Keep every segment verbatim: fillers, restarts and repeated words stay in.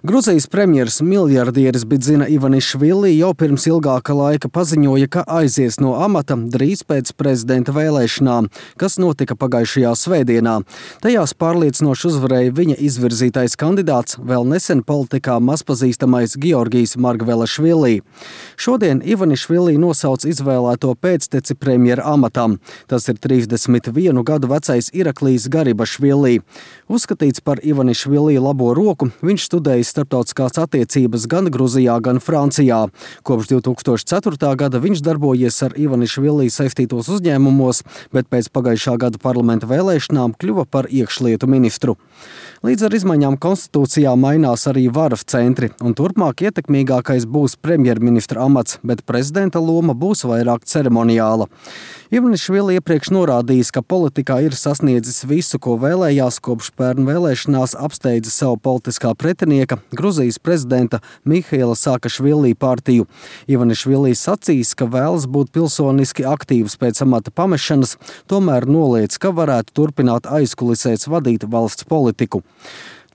Gruzijas premjers miljardieris Bidzina Ivanišvili jau pirms ilgāka laika paziņoja, ka aizies no amata drīz pēc prezidenta vēlēšanām, kas notika pagājušajā svētdienā. Tajās pārliecinoši uzvarēja viņa izvirzītais kandidāts, vēl nesen politikā mazpazīstamais Georgijs Margvelašvili. Šodien Ivanišvili nosauc izvēlēto pēcteci premjera amatam. Tas ir trīsdesmit vienu gadu vecais Iraklijs Garibašvili. Uzskatīts par Ivanišvili labo roku, viņš studējis starptautiskās attiecības gan Gruzijā, gan Francijā. Kopš divi tūkstoši ceturtā gada viņš darbojies ar Ivanišvili saistītos uzņēmumos, bet pēc pagājušā gada parlamenta vēlēšanām kļuva par iekšlietu ministru. Līdz ar izmaiņām konstitūcijā mainās arī varas centri, un turpmāk ietekmīgākais būs premjerministra amats, bet prezidenta loma būs vairāk ceremoniāla. Ivanišvili iepriekš norādījis, ka politikā ir sasniedzis visu, ko vēlējās, kopš pērn vēlēšanās apsteidza savu politiskā pretinieka, Gruzijas prezidenta Mihaila Saakašvili partiju. Ivanišvili sacīs, ka vēlas būt pilsoniski aktīvs pēc amata pamešanas, tomēr noliedz, ka varētu turpināt aizkulisēs vadīt valsts politiku.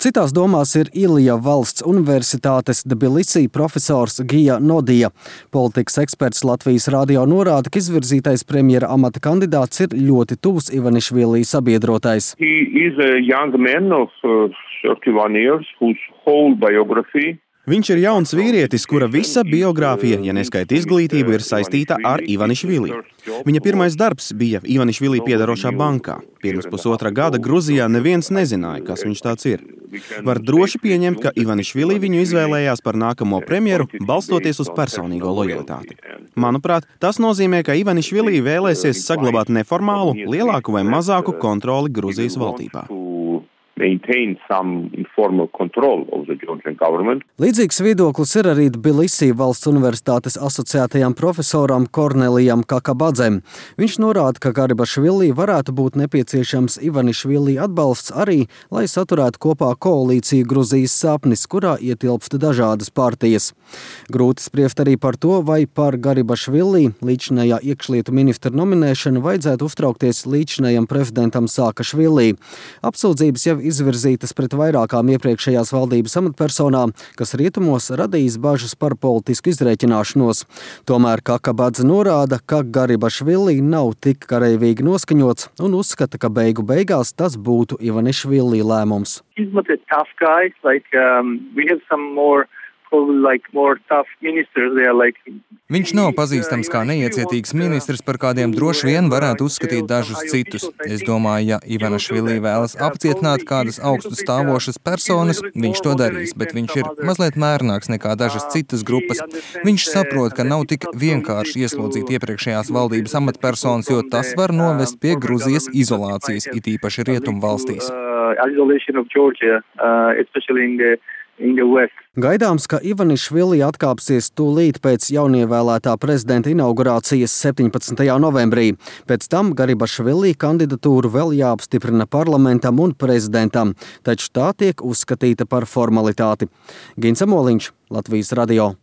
Citās domās ir Ilija Valsts universitātes Tbilisī profesors Gija Nodija. Politikas eksperts Latvijas radio norāda, ka izvirzītais premjera amata kandidāts ir ļoti tuvs Ivanišvili sabiedrotais. He is a young man of uh, thirty-one years whose whole biography Viņš ir jauns vīrietis, kura visa biogrāfija, ja neskaita izglītību, ir saistīta ar Ivanišvili. Viņa pirmais darbs bija Ivanišvili piedarošā bankā. Pirms pusotra gada Gruzijā neviens nezināja, kas viņš tāds ir. Var droši pieņemt, ka Ivanišvili viņu izvēlējās par nākamo premjeru, balstoties uz personīgo lojalitāti. Manuprāt, tas nozīmē, ka Ivanišvili vēlēsies saglabāt neformālu, lielāku vai mazāku kontroli Gruzijas valdībā. Līdzīgs viedoklis ir arī Tbilisī Valsts universitātes asociētajam profesoram Kornelijam Kakabadzem. Viņš norāda, ka Garibašvili varētu būt nepieciešams Ivanišvili atbalsts arī, lai saturētu kopā koalīciju Gruzijas sapnis, kurā ietilpst dažādas partijas. Grūti spriest arī par to, vai par Garibašvili līdzinājā iekšlietu ministra nominēšanu vajadzētu uztraukties līdzinājam prezidentam Saakašvili. Apsūdzības jau izvirzītas pret vairākām iepriekšējās valdības amatpersonām, kas rietumos radījis bažas par politisku izrēķināšanos. Tomēr Kakabadze norāda, ka Garibašvili nav tik kareivīgi noskaņots un uzskata, ka beigu beigās tas būtu Ivanišvili lēmums. Like like... Viņš nav pazīstams kā neiecietīgs ministrs, par kādiem droši vien varētu uzskatīt dažus citus. Es domāju, ja Ivanišvili vēlas apcietināt kādas augstu stāvošas personas, viņš to darīs, bet viņš ir mazliet mērnāks nekā dažas citas grupas. Viņš saprot, ka nav tik vienkārši ieslodzīti iepriekšējās valdības amatpersonas, jo tas var novest pie Gruzijas izolācijas, it īpaši rietumu valstīs. Gaidāms, ka Ivanišvili atkāpsies tūlīt pēc jaunievēlētā prezidenta inaugurācijas septiņpadsmitajā novembrī. Pēc tam Garibašvili kandidatūru vēl jāapstiprina parlamentam un prezidentam, taču tā tiek uzskatīta par formalitāti. Gins Amoliņš, Latvijas radio.